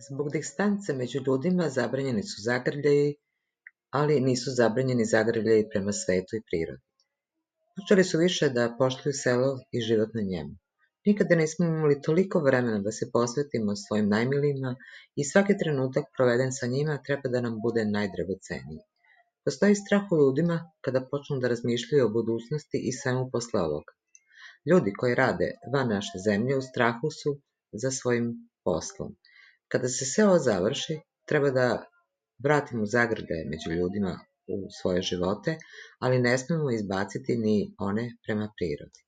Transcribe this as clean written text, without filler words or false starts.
Zbog distance među ljudima zabranjeni su zagrljaji, ali nisu zabranjeni zagrljaji prema svetu i prirodi. Počeli su više da poštuju selo i život na njemu. Nikada nismo imali toliko vremena da se posvetimo svojim najmilijima i svaki trenutak proveden sa njima treba da nam bude najdragoceniji. Postoji strah u ljudima kada počnu da razmišljaju o budućnosti i svemu posle ovoga. Ljudi koji rade van naše zemlje u strahu su za svojim poslom. Kada se sve ovo završi, treba da vratimo zagrljaje među ljudima u svoje živote, ali ne smemo izbaciti ni one prema prirodi.